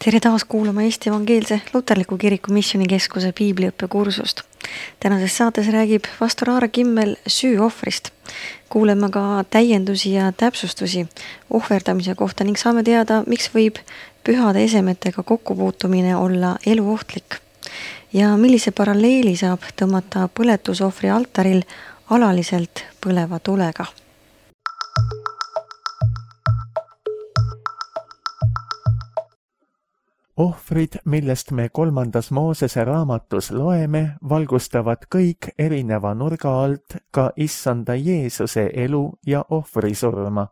Tere taas kuulama Eesti Evangeelse Luterliku Kiriku Missioonikeskuse piibliõppekursust. Tänases saates räägib pastor Aare Kimmel süüohvrist. Kuuleme ka täiendusi ja täpsustusi ohverdamise kohta ning saame teada, miks võib pühade esemetega kokkupuutumine olla eluohtlik. Ja millise paralleeli saab tõmmata põletusohvri altaril alaliselt põleva tulega. Ohvrid, millest me 3. Moosese raamatus loeme, valgustavad kõik erineva nurga alt ka Issanda Jeesuse elu ja ohvrisurma.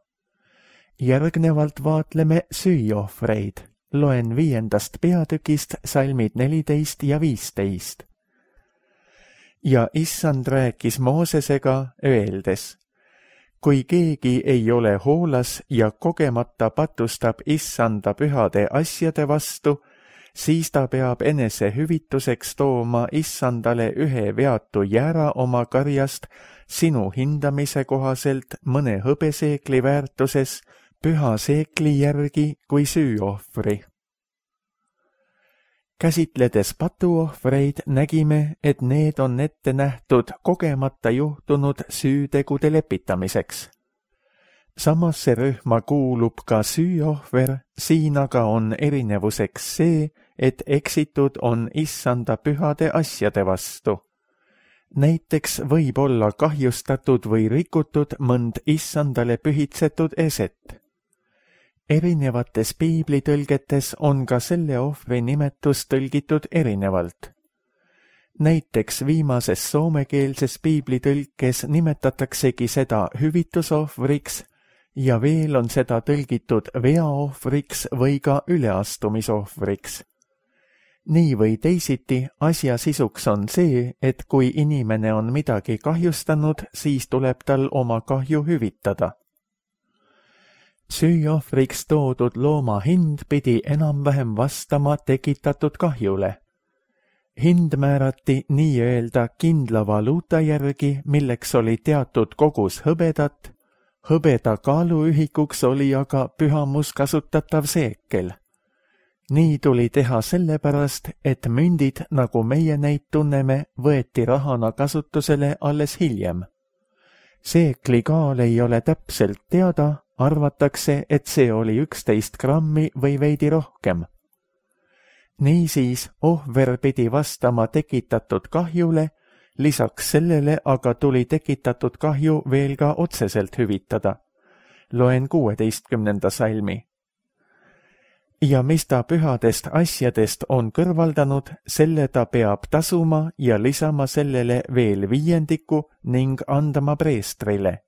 Järgnevalt vaatleme süüohvreid. Loen 5. peatükist salmid 14 ja 15. Ja Issand rääkis Moosesega öeldes: kui keegi ei ole hoolas ja kogemata patustab Issanda pühade asjade vastu, siis ta peab enese hüvituseks tooma Issandale ühe veatu jäära oma karjast sinu hindamise kohaselt mõne hõbeseekli väärtuses püha seekli järgi kui süüohvri. Käsitledes patuohvreid nägime, et need on ette nähtud kogemata juhtunud süütegude lepitamiseks. Samasse rühma kuulub ka süüohver, siin aga on erinevuseks see, et eksitud on Issanda pühade asjade vastu. Näiteks võib olla kahjustatud või rikutud mõnd Issandale pühitsetud eset. Erinevates piiblitõlgetes on ka selle ohvri nimetus tõlgitud erinevalt. Näiteks viimases soomekeelses piiblitõlkes nimetataksegi seda hüvitusohvriks ja veel on seda tõlgitud veaohvriks või ka üleastumisohvriks. Nii või teisiti, asja sisuks on see, et kui inimene on midagi kahjustanud, siis tuleb tal oma kahju hüvitada. Süüohvriks toodud looma hind pidi enam-vähem vastama tekitatud kahjule. Hind määrati nii-öelda kindla valuuta järgi, milleks oli teatud kogus hõbedat. Hõbeda kaaluühikuks oli aga pühamus kasutatav seekel. Nii tuli teha sellepärast, et mündid, nagu meie neid tunneme, võeti rahana kasutusele alles hiljem. Seekli kaal ei ole täpselt teada, arvatakse, et see oli 11 grammi või veidi rohkem. Niisiis, ohver pidi vastama tekitatud kahjule, lisaks sellele aga tuli tekitatud kahju veel ka otseselt hüvitada. Loen 16. salmi. Ja mis ta pühadest asjadest on kõrvaldanud, selle ta peab tasuma ja lisama sellele veel 5 ning andma preestrile.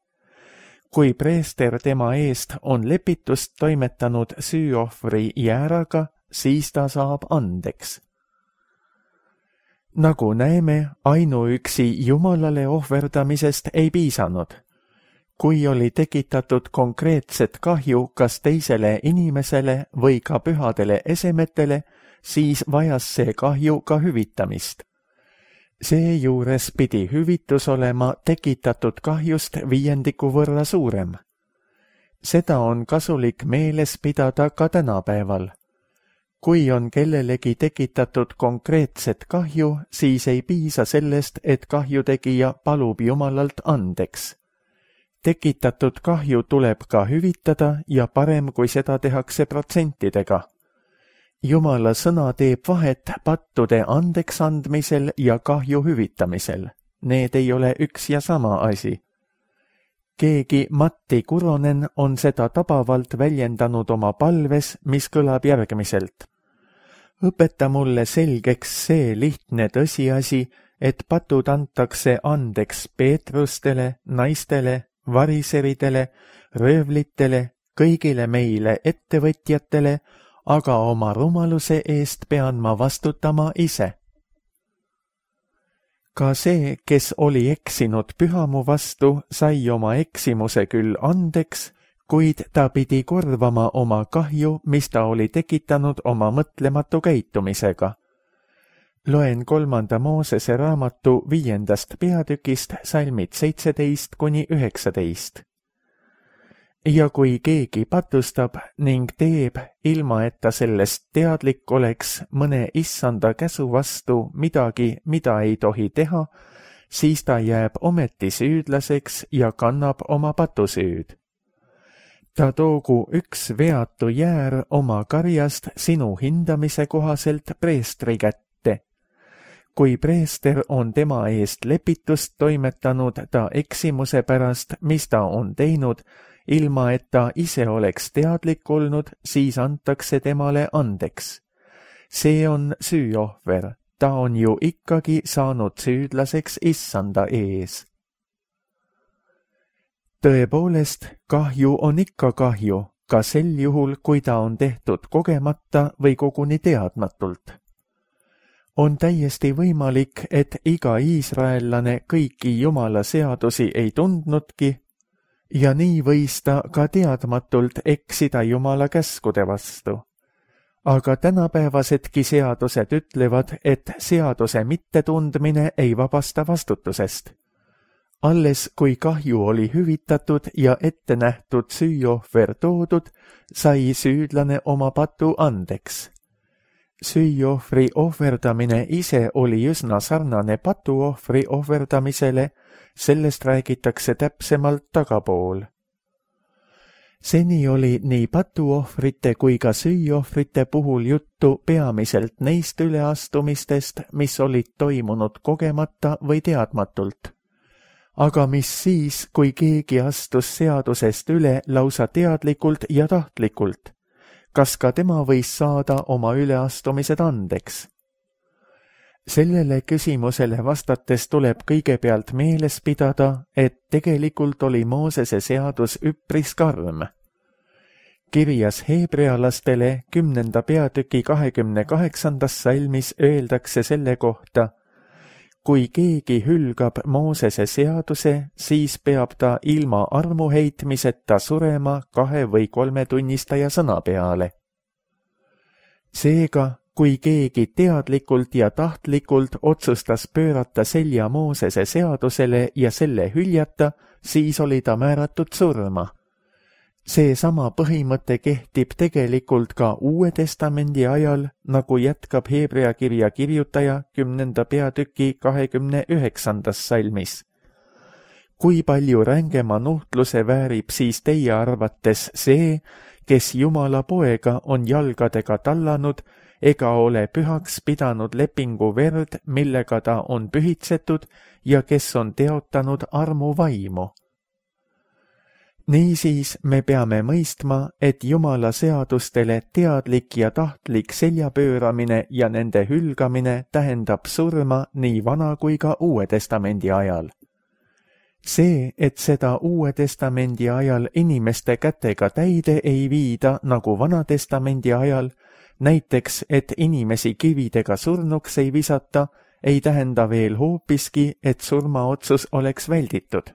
Kui preester tema eest on lepitust toimetanud süüohvri jääraga, siis ta saab andeks. Nagu näeme, ainuüksi Jumalale ohverdamisest ei piisanud. Kui oli tekitatud konkreetset kahju kas teisele inimesele või ka pühadele esemetele, siis vajas see kahju ka hüvitamist. Seejuures pidi hüvitus olema tekitatud kahjust 5 võrra suurem. Seda on kasulik meeles pidada ka tänapäeval. Kui on kellelegi tekitatud konkreetset kahju, siis ei piisa sellest, et kahjutegija palub Jumalalt andeks. Tekitatud kahju tuleb ka hüvitada ja parem, kui seda tehakse protsentidega. Jumala sõna teeb vahet pattude andeks andmisel ja kahju hüvitamisel. Need ei ole üks ja sama asi. Keegi Matti Kuronen on seda tabavalt väljendanud oma palves, mis kõlab järgmiselt. Õpeta mulle selgeks see lihtne tõsiasi, et patud antakse andeks Peetrustele, naistele, variseridele, röövlitele, kõigile meile ettevõtjatele, aga oma rumaluse eest pean ma vastutama ise. Ka see, kes oli eksinud pühamu vastu, sai oma eksimuse küll andeks, kuid ta pidi korvama oma kahju, mis ta oli tekitanud oma mõtlematu käitumisega. Loen 3. Moosese raamatu 5. peatükist salmid 17 kuni 19. ja kui keegi patustab ning teeb, ilma et ta sellest teadlik oleks, mõne issanda käsu vastu midagi, mida ei tohi teha, siis ta jääb ometi süüdlaseks ja kannab oma patusüüd. Ta toogu üks veatu jäär oma karjast sinu hindamise kohaselt preestri kätte. Kui preester on tema eest lepitust toimetanud ta eksimuse pärast, mis ta on teinud, ilma et ta ise oleks teadlik olnud, siis antakse temale andeks. See on süüohver, ta on ju ikkagi saanud süüdlaseks issanda ees. Tõepoolest, kahju on ikka kahju, ka sel juhul, kui ta on tehtud kogemata või koguni teadmatult. On täiesti võimalik, et iga iisraellane kõiki Jumala seadusi ei tundnudki ja nii võis ta ka teadmatult eksida Jumala käskude vastu. Aga tänapäevasedki seadused ütlevad, et seaduse mittetundmine ei vabasta vastutusest. Alles kui kahju oli hüvitatud ja ette nähtud süüohver toodud, sai süüdlane oma patu andeks. Süüohvri ohverdamine ise oli üsna sarnane patuohvri ohverdamisele, sellest räägitakse täpsemalt tagapool. Seni oli nii patuohvrite kui ka süüohvrite puhul juttu peamiselt neist üleastumistest, mis olid toimunud kogemata või teadmatult. Aga mis siis, kui keegi astus seadusest üle lausa teadlikult ja tahtlikult? Kas ka tema võis saada oma üleastumised andeks? Sellele küsimusele vastates tuleb kõigepealt meeles pidada, et tegelikult oli Moosese seadus üpris karm. Kirjas heebrealastele 10. peatüki 28. salmis öeldakse selle kohta: kui keegi hülgab Moosese seaduse, siis peab ta ilma armuheitmiseta surema 2 või 3 tunnistaja sõna peale. Seega, kui keegi teadlikult ja tahtlikult otsustas pöörata selja Moosese seadusele ja selle hüljata, siis oli ta määratud surma. Seesama põhimõte kehtib tegelikult ka Uue Testamendi ajal, nagu jätkab Hebrea kirja kirjutaja 10. peatüki 29. salmis. Kui palju rängema nuhtluse väärib siis teie arvates see, kes Jumala poega on jalgadega tallanud ega ole pühaks pidanud lepingu verd, millega ta on pühitsetud ja kes on teotanud armu vaimu. Niisiis me peame mõistma, et Jumala seadustele teadlik ja tahtlik seljapööramine ja nende hülgamine tähendab surma nii Vana kui ka Uue Testamendi ajal. See, et seda Uue Testamendi ajal inimeste kätega täide ei viida nagu Vana Testamendi ajal, näiteks, et inimesi kividega surnuks ei visata, ei tähenda veel hoopiski, et surmaotsus oleks välditud.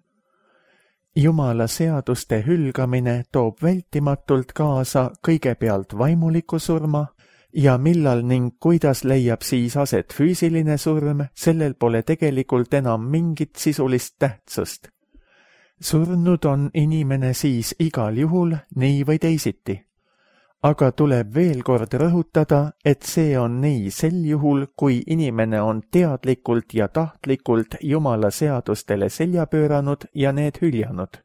Jumala seaduste hülgamine toob vältimatult kaasa kõigepealt vaimuliku surma ja millal ning kuidas leiab siis aset füüsiline surm, sellel pole tegelikult enam mingit sisulist tähtsust. Surnud on inimene siis igal juhul nii või teisiti. Aga tuleb veel kord rõhutada, et see on nii sel juhul, kui inimene on teadlikult ja tahtlikult Jumala seadustele selja pööranud ja need hüljanud.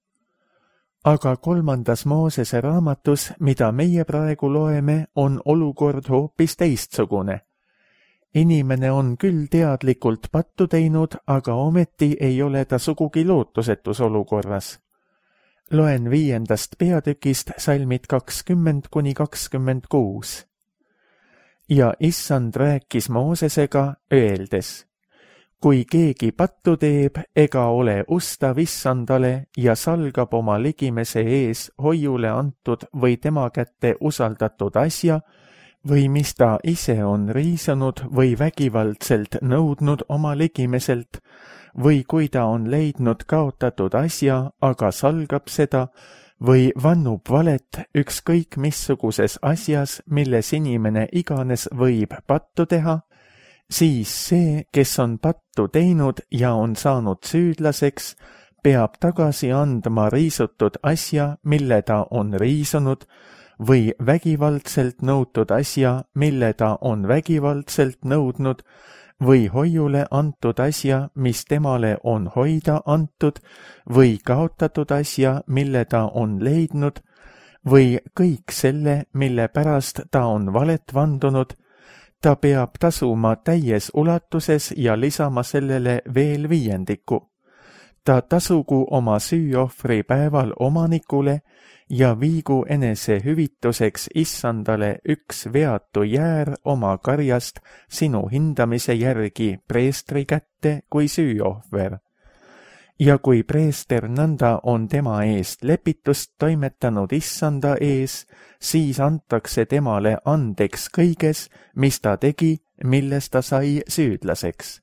Aga 3. Moosese raamatus, mida meie praegu loeme, on olukord hoopis teistsugune. Inimene on küll teadlikult pattu teinud, aga ometi ei ole ta sugugi lootusetus olukorras. Loen 5. peatükist salmid 20–26. Ja issand rääkis Moosesega, öeldes: kui keegi pattu teeb ega ole ustav issandale ja salgab oma ligimese ees hoiule antud või tema kätte usaldatud asja, või mis ta ise on riisunud või vägivaldselt nõudnud oma ligimeselt, või kui ta on leidnud kaotatud asja, aga salgab seda, või vannub valet ükskõik missuguses asjas, milles inimene iganes võib pattu teha, siis see, kes on pattu teinud ja on saanud süüdlaseks, peab tagasi andma riisutud asja, mille ta on riisunud, või vägivaldselt nõutud asja, mille ta on vägivaldselt nõudnud, või hoiule antud asja, mis temale on hoida antud, või kaotatud asja, mille ta on leidnud, või kõik selle, mille pärast ta on valet vandunud, ta peab tasuma täies ulatuses ja lisama sellele veel 5. Ta tasugu oma süüohvri päeval omanikule ja viigu enese hüvituseks issandale üks veatu jäär oma karjast sinu hindamise järgi preestri kätte kui süüohver. Ja kui preester nõnda on tema eest lepitust toimetanud issanda ees, siis antakse temale andeks kõiges, mis ta tegi, milles ta sai süüdlaseks.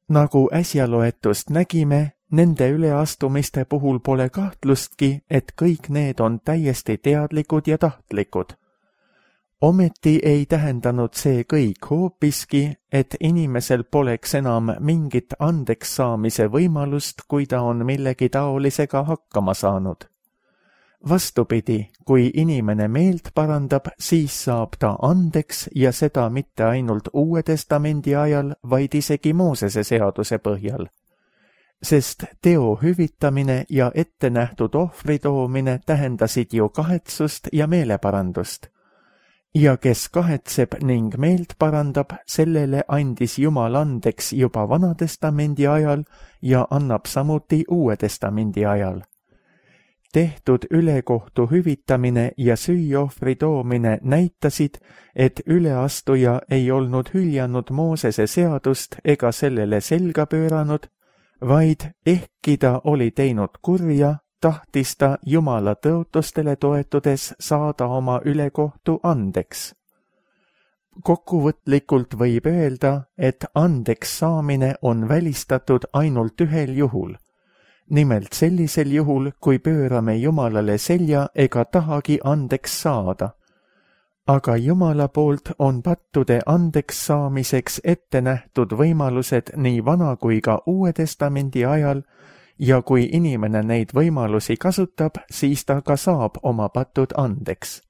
Nagu äsja loetust nägime, nende üleastumiste puhul pole kahtlustki, et kõik need on täiesti teadlikud ja tahtlikud. Ometi ei tähendanud see kõik hoopiski, et inimesel poleks enam mingit andeks saamise võimalust, kui ta on millegi taolisega hakkama saanud. Vastupidi, kui inimene meelt parandab, siis saab ta andeks ja seda mitte ainult Uue Testamendi ajal, vaid isegi Moosese seaduse põhjal. Sest teo hüvitamine ja ettenähtud ohvri toomine tähendasid ju kahetsust ja meeleparandust. Ja kes kahetseb ning meelt parandab, sellele andis Jumal andeks juba Vanatestamendi ajal ja annab samuti Uue Testamendi ajal. Tehtud ülekohtu hüvitamine ja süüohvri toomine näitasid, et üleastuja ei olnud hüljanud Moosese seadust ega sellele selga pööranud, vaid ehkki ta oli teinud kurja, tahtis ta Jumala tõotustele toetudes saada oma ülekohtu andeks. Kokkuvõtlikult võib öelda, et andeks saamine on välistatud ainult ühel juhul. Nimelt sellisel juhul, kui pöörame Jumalale selja ega tahagi andeks saada. Aga Jumala poolt on pattude andeks saamiseks ette nähtud võimalused nii Vana kui ka Uue Testamendi ajal, ja kui inimene neid võimalusi kasutab, siis ta ka saab oma patud andeks.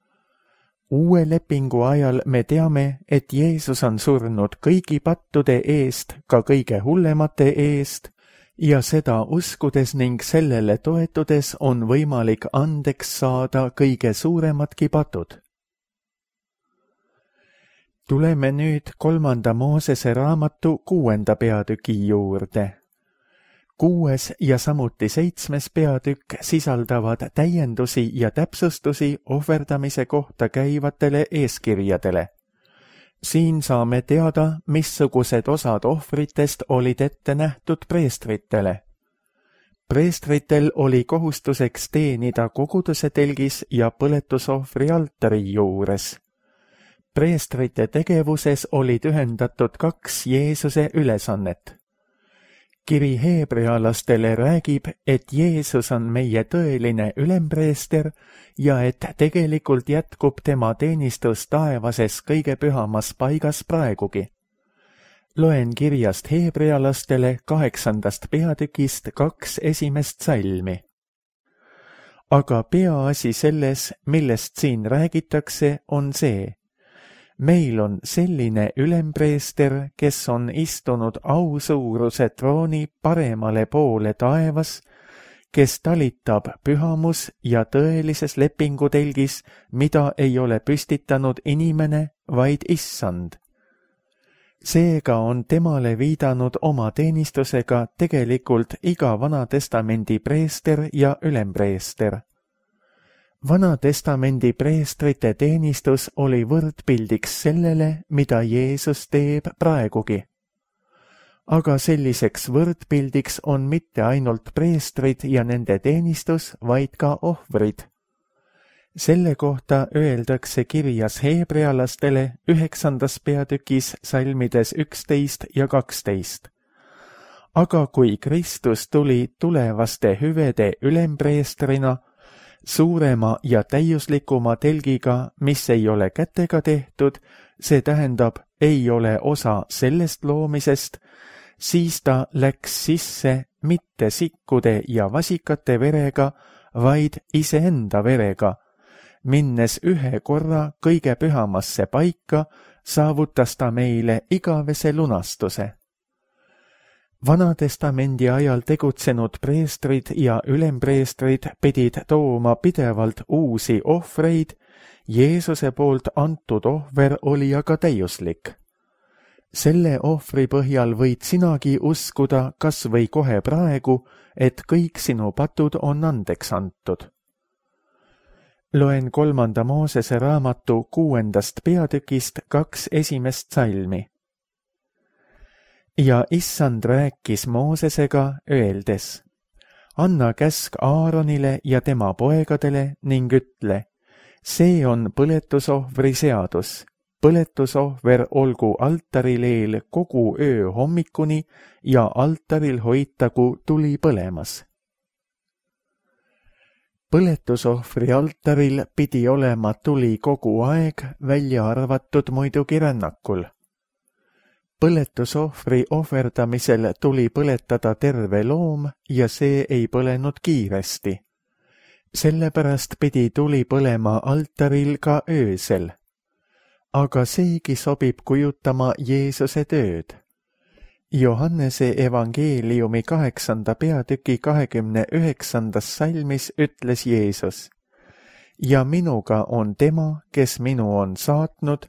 Uue lepingu ajal me teame, et Jeesus on surnud kõigi pattude eest, ka kõige hullemate eest, ja seda uskudes ning sellele toetudes on võimalik andeks saada kõige suuremadki patud. Tuleme nüüd 3. Moosese raamatu 6. peatüki juurde. 6. ja samuti 7. peatükk sisaldavad täiendusi ja täpsustusi ohverdamise kohta käivatele eeskirjadele. Siin saame teada, missugused osad ohvritest olid ette nähtud preestritele. Preestritel oli kohustuseks teenida koguduse telgis ja põletusohvri altari juures. Preestrite tegevuses olid ühendatud 2 Jeesuse ülesannet. Kiri heebrealastele räägib, et Jeesus on meie tõeline ülempreester ja et tegelikult jätkub tema teenistus taevases kõige pühamas paigas praegugi. Loen kirjast heebrealastele 8. peatükist 2 esimest salmi. Aga peaasi selles, millest siin räägitakse, on see. Meil on selline ülempreester, kes on istunud ausuuruse trooni paremale poole taevas, kes talitab pühamus ja tõelises lepingutelgis, mida ei ole püstitanud inimene, vaid issand. Seega on temale viidanud oma teenistusega tegelikult iga Vanatestamendi preester ja ülempreester. Vanatestamendi preestrite teenistus oli võrdpildiks sellele, mida Jeesus teeb praegugi. Aga selliseks võrdpildiks on mitte ainult preestrid ja nende teenistus, vaid ka ohvrid. Selle kohta öeldakse kirjas heebrealastele 9. peatükis salmides 11 ja 12. Aga kui Kristus tuli tulevaste hüvede ülempreestrina, suurema ja täiuslikuma telgiga, mis ei ole kätega tehtud, see tähendab, ei ole osa sellest loomisest, siis ta läks sisse mitte sikkude ja vasikate verega, vaid iseenda verega. Minnes ühe korra kõige pühamasse paika, saavutas ta meile igavese lunastuse. Vanatestamendi ajal tegutsenud preestrid ja ülempreestrid pidid tooma pidevalt uusi ohvreid, Jeesuse poolt antud ohver oli aga täiuslik. Selle ohvri põhjal võid sinagi uskuda kas või kohe praegu, et kõik sinu patud on andeks antud. Loen 3. Moosese raamatu 6. peatükist 2 esimest salmi. Ja issand rääkis Moosesega, öeldes: anna käsk Aaronile ja tema poegadele ning ütle: see on põletusohvri seadus. Põletusohver olgu altaril eel kogu öö hommikuni ja altaril hoitagu tuli põlemas. Põletusohvri altaril pidi olema tuli kogu aeg, välja arvatud muidugi rännakul. Põletusohvri ohverdamisel tuli põletada terve loom ja see ei põlenud kiiresti. Sellepärast pidi tuli põlema altaril ka öösel. Aga seegi sobib kujutama Jeesuse tööd. Johannese evangeeliumi 8. peatüki 29. salmis ütles Jeesus: ja minuga on tema, kes minu on saatnud,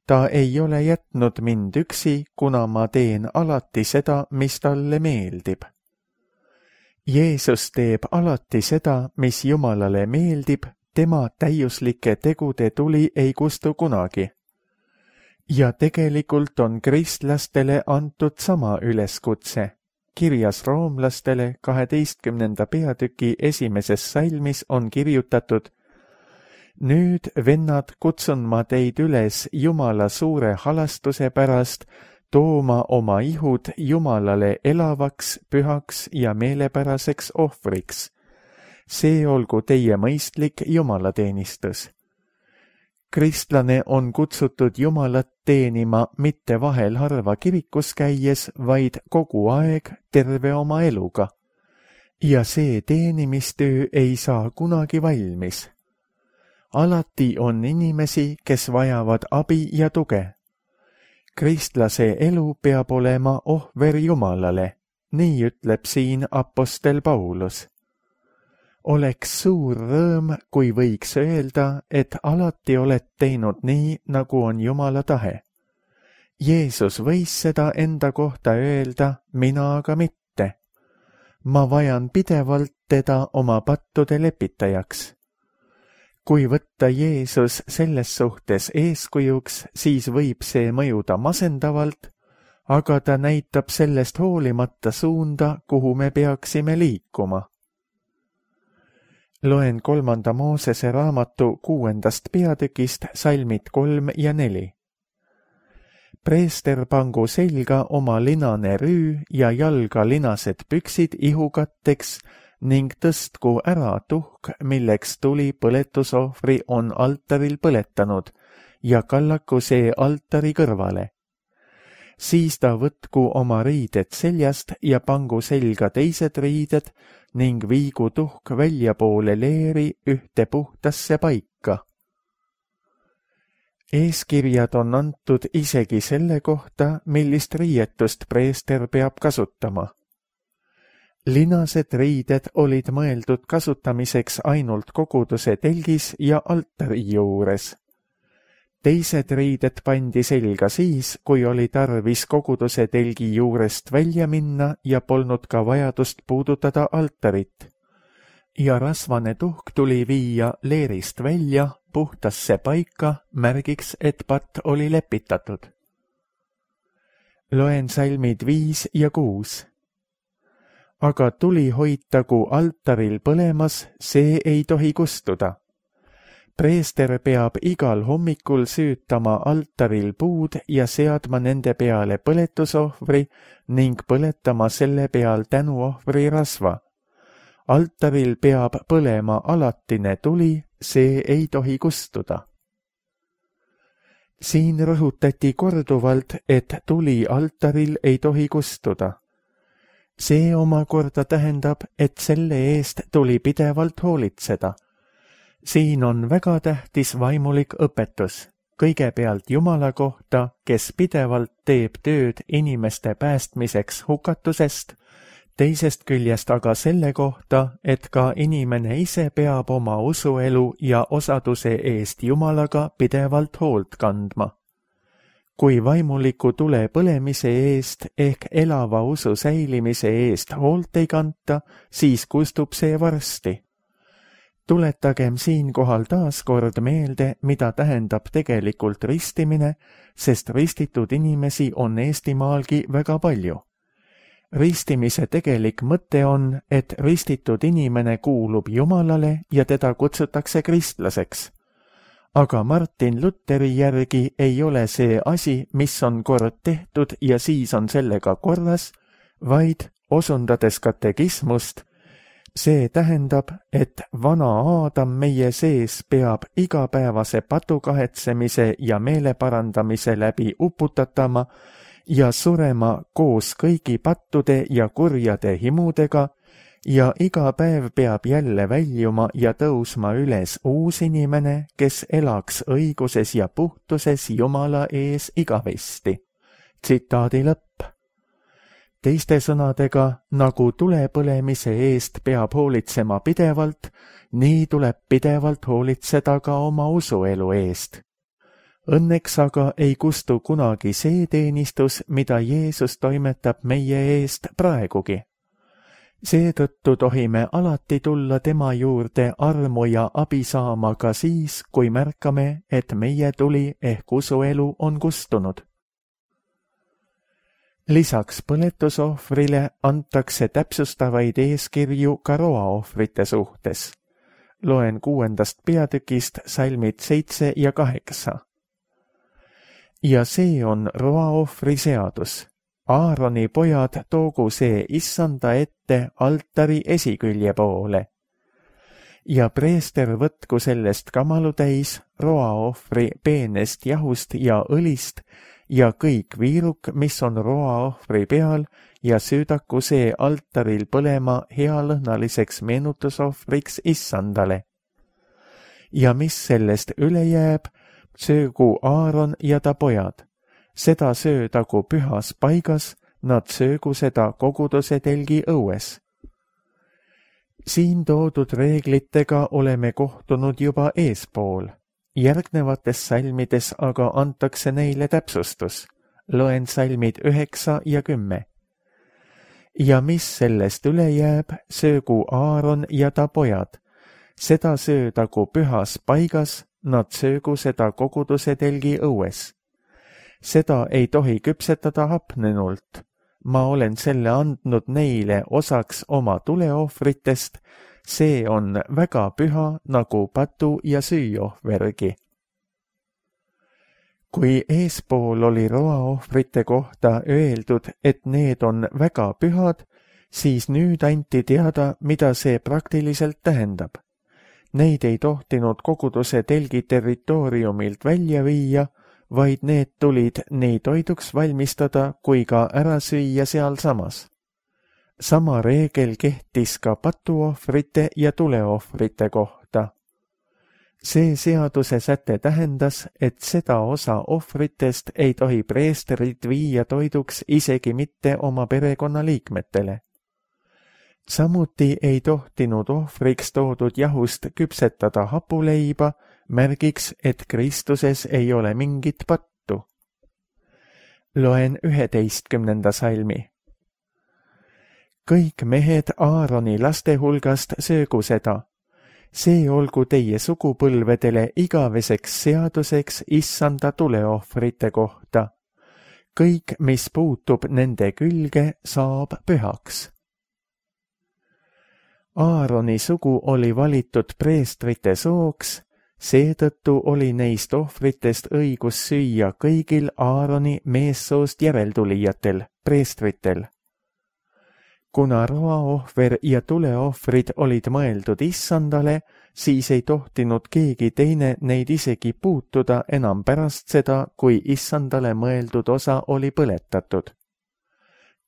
ta ei ole jätnud mind üksi, kuna ma teen alati seda, mis talle meeldib. Jeesus teeb alati seda, mis Jumalale meeldib, tema täiuslike tegude tuli ei kustu kunagi. Ja tegelikult on kristlastele antud sama üleskutse. Kirjas roomlastele 12. peatüki 1. salmis on kirjutatud: nüüd, vennad, kutsun ma teid üles Jumala suure halastuse pärast tooma oma ihud Jumalale elavaks, pühaks ja meelepäraseks ohvriks. See olgu teie mõistlik jumalateenistus. Kristlane on kutsutud Jumalat teenima mitte vahel harva kirikus käies, vaid kogu aeg terve oma eluga. Ja see teenimistöö ei saa kunagi valmis. Alati on inimesi, kes vajavad abi ja tuge. Kristlase elu peab olema ohver Jumalale, nii ütleb siin apostel Paulus. Oleks suur rõõm, kui võiks öelda, et alati oled teinud nii, nagu on Jumala tahe. Jeesus võis seda enda kohta öelda, mina aga mitte. Ma vajan pidevalt teda oma pattude lepitajaks. Kui võtta Jeesus selles suhtes eeskujuks, siis võib see mõjuda masendavalt, aga ta näitab sellest hoolimata suunda, kuhu me peaksime liikuma. Loen 3. Moosese raamatu 6. peatükist salmid 3 ja 4. Preester pangu selga oma linane rüü ja jalga linased püksid ihukatteks ning tõstku ära tuhk, milleks tuli põletusohvri on altaril põletanud, ja kallaku see altari kõrvale. Siis ta võtku oma riided seljast ja pangu selga teised riided ning viigu tuhk väljapoole leeri ühte puhtasse paika. Eeskirjad on antud isegi selle kohta, millist riietust preester peab kasutama. Linased riided olid mõeldud kasutamiseks ainult koguduse telgis ja altari juures. Teised riided pandi selga siis, kui oli tarvis koguduse telgi juurest välja minna ja polnud ka vajadust puudutada altarit. Ja rasvane tuhk tuli viia leerist välja puhtasse paika, märgiks, et patt oli lepitatud. Loen salmid 5 ja 6. Aga tuli hoitagu altaril põlemas, see ei tohi kustuda. Preester peab igal hommikul süütama altaril puud ja seadma nende peale põletusohvri ning põletama selle peal tänuohvri rasva. Altaril peab põlema alatine tuli, see ei tohi kustuda. Siin rõhutati korduvalt, et tuli altaril ei tohi kustuda. See omakorda tähendab, et selle eest tuli pidevalt hoolitseda. Siin on väga tähtis vaimulik õpetus. Kõigepealt Jumala kohta, kes pidevalt teeb tööd inimeste päästmiseks hukatusest, teisest küljest aga selle kohta, et ka inimene ise peab oma usuelu ja osaduse eest Jumalaga pidevalt hoolt kandma. Kui vaimuliku tule põlemise eest ehk elava usu säilimise eest hoolt ei kanta, siis kustub see varsti. Tuletagem siinkohal taas kord meelde, mida tähendab tegelikult ristimine, sest ristitud inimesi on Eestimaalgi väga palju. Ristimise tegelik mõte on, et ristitud inimene kuulub Jumalale ja teda kutsutakse kristlaseks. Aga Martin Lutheri järgi ei ole see asi, mis on kord tehtud ja siis on sellega korras, vaid, osundades katekismust, see tähendab, et vana Aadam meie sees peab igapäevase patukahetsemise ja meeleparandamise läbi uputatama ja surema koos kõigi pattude ja kurjade himudega ja iga päev peab jälle väljuma ja tõusma üles uus inimene, kes elaks õiguses ja puhtuses Jumala ees igavesti. Tsitaadi lõpp. Teiste sõnadega, nagu tulepõlemise eest peab hoolitsema pidevalt, nii tuleb pidevalt hoolitseda ka oma usuelu eest. Õnneks aga ei kustu kunagi see teenistus, mida Jeesus toimetab meie eest praegugi. Seetõttu tohime alati tulla tema juurde armu ja abi saama ka siis, kui märkame, et meie tuli ehk usuelu on kustunud. Lisaks põletusohvrile antakse täpsustavaid eeskirju ka roaohvrite suhtes. Loen 6. peatükist salmid 7 ja 8. Ja see on roaohvri seadus. Aaroni pojad toogu see issanda ette altari esikülje poole. Ja preester võtku sellest kamalu täis roaohvri peenest jahust ja õlist ja kõik viiruk, mis on roaohvri peal, ja süüdaku see altaril põlema healõhnaliseks meenutusohvriks issandale. Ja mis sellest üle jääb, söögu Aaron ja ta pojad. Seda söödagu pühas paigas, nad söögu seda koguduse telgi õues. Siin toodud reeglitega oleme kohtunud juba eespool. Järgnevates salmides aga antakse neile täpsustus. Loen salmid 9 ja 10. Ja mis sellest üle jääb, söögu Aaron ja ta pojad. Seda söödagu pühas paigas, nad söögu seda koguduse telgi õues. Seda ei tohi küpsetada hapnenult. Ma olen selle andnud neile osaks oma tuleohvritest, see on väga püha nagu patu- ja süüohvergi. Kui eespool oli roaohvrite kohta öeldud, et need on väga pühad, siis nüüd anti teada, mida see praktiliselt tähendab. Neid ei tohtinud koguduse telgi territooriumilt välja viia, vaid need tulid nii toiduks valmistada kui ka ära süüa sealsamas. Sama reegel kehtis ka patuohvrite ja tuleohvrite kohta. See seaduse säte tähendas, et seda osa ohvritest ei tohi preesterid viia toiduks isegi mitte oma perekonnaliikmetele. Samuti ei tohtinud ohvriks toodud jahust küpsetada hapuleiba, märgiks, et Kristuses ei ole mingit pattu. Loen 11. salmi. Kõik mehed Aaroni laste hulgast söögu seda. See olgu teie sugupõlvedele igaveseks seaduseks issanda tuleohvrite kohta. Kõik, mis puutub nende külge, saab pühaks. Aaroni sugu oli valitud preestrite sooks, seetõttu oli neist ohvritest õigus süüa kõigil Aaroni meessoost järeltulijatel, preestritel. Kuna roaohver ja tuleohvrid olid mõeldud issandale, siis ei tohtinud keegi teine neid isegi puutuda enam pärast seda, kui issandale mõeldud osa oli põletatud.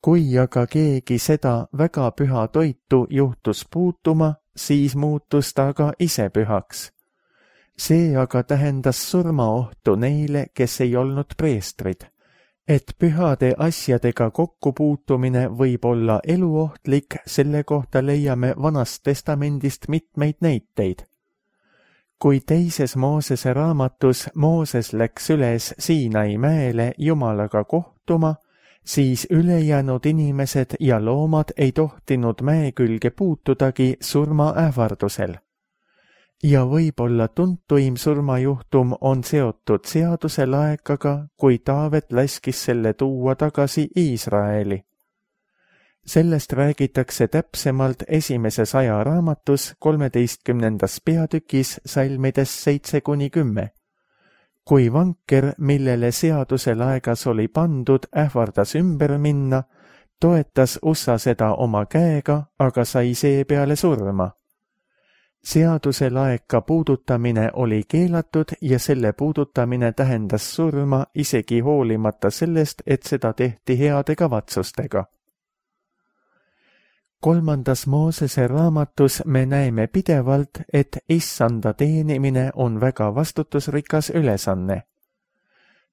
Kui aga keegi seda väga püha toitu juhtus puutuma, siis muutus ta ka ise pühaks. See aga tähendas surmaohtu neile, kes ei olnud preestrid, et pühade asjadega kokkupuutumine võib olla eluohtlik, selle kohta leiame Vanast Testamendist mitmeid näiteid. Kui teises Moosese raamatus Mooses läks üles Siinai mäele Jumalaga kohtuma, siis ülejäänud inimesed ja loomad ei tohtinud mäe külge puutudagi surmaähvardusel. Ja võib-olla tuntuim surmajuhtum on seotud seaduse laekaga, kui Taavet laskis selle tuua tagasi Iisraeli. Sellest räägitakse täpsemalt Esimeses ajaraamatus 13. peatükis salmides 7-10. Kui vanker, millele seaduse laegas oli pandud, ähvardas ümber minna, toetas Ussa seda oma käega, aga sai seepeale surma. Seaduse laeka puudutamine oli keelatud ja selle puudutamine tähendas surma isegi hoolimata sellest, et seda tehti heade kavatsustega. 3. Moosese raamatus me näeme pidevalt, et issanda teenimine on väga vastutusrikas ülesanne.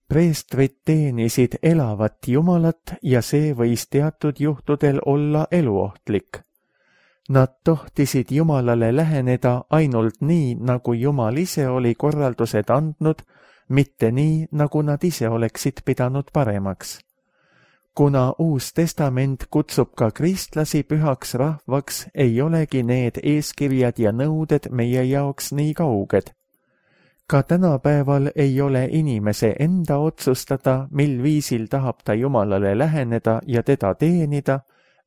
Preestrid teenisid elavat Jumalat ja see võis teatud juhtudel olla eluohtlik. Nad tohtisid Jumalale läheneda ainult nii, nagu Jumal ise oli korraldused andnud, mitte nii, nagu nad ise oleksid pidanud paremaks. Kuna Uus Testament kutsub ka kristlasi pühaks rahvaks, ei olegi need eeskirjad ja nõuded meie jaoks nii kauged. Ka tänapäeval ei ole inimese enda otsustada, mil viisil tahab ta Jumalale läheneda ja teda teenida,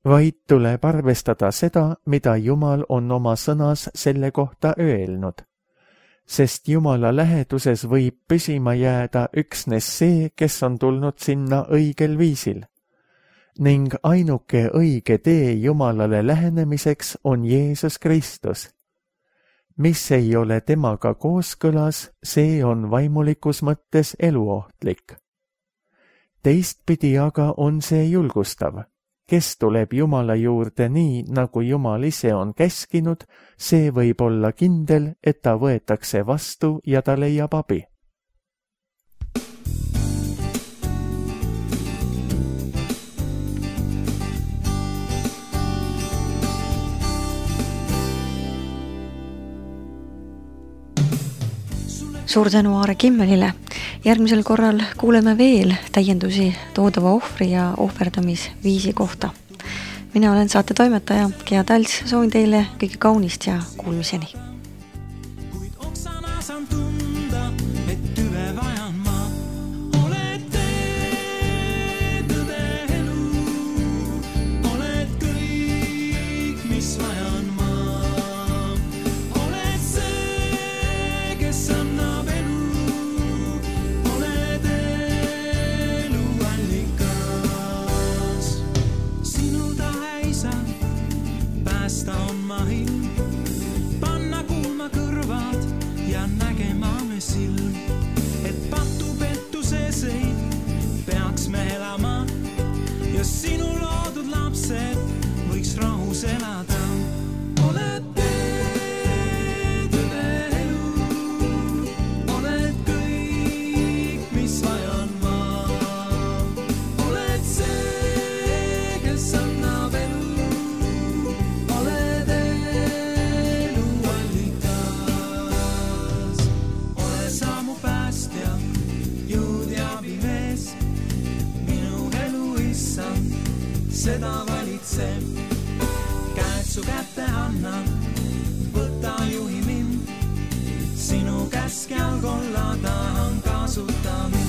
vaid tuleb arvestada seda, mida Jumal on oma sõnas selle kohta öelnud. Sest Jumala läheduses võib püsima jääda üksnes see, kes on tulnud sinna õigel viisil. Ning ainuke õige tee Jumalale lähenemiseks on Jeesus Kristus. Mis ei ole temaga kooskõlas, see on vaimulikus mõttes eluohtlik. Teistpidi aga on see julgustav. Kes tuleb Jumala juurde nii, nagu Jumal ise on käskinud, see võib olla kindel, et ta võetakse vastu ja ta leiab abi. Suur tänu Aare Kimmelile. Järgmisel korral kuuleme veel täiendusi toodava ohvri ja ohverdamisviisi kohta. Mina olen saate toimetaja Gea Talts, soovin teile kõige kaunist ja kuulmiseni. Kuid oksana saan tunda, et tüve vajan ma. Oled tee, tõde elu, oled kõik, mis vajan ma. Oled see, kes annab elu. Päästa on mahin, panna kuulma kõrvad ja nägema me silm, et patupetuses ei peaks me elama ja sinu loodud lapsed võiks rahus elada. Oled tee, tõde elu, oled kõik, mis vajan ma. Oled see, kes annab elu. Seda valitseb, käed su kätte annan, võta juhi mind, sinu käskjal kolla tahan kasuta mind.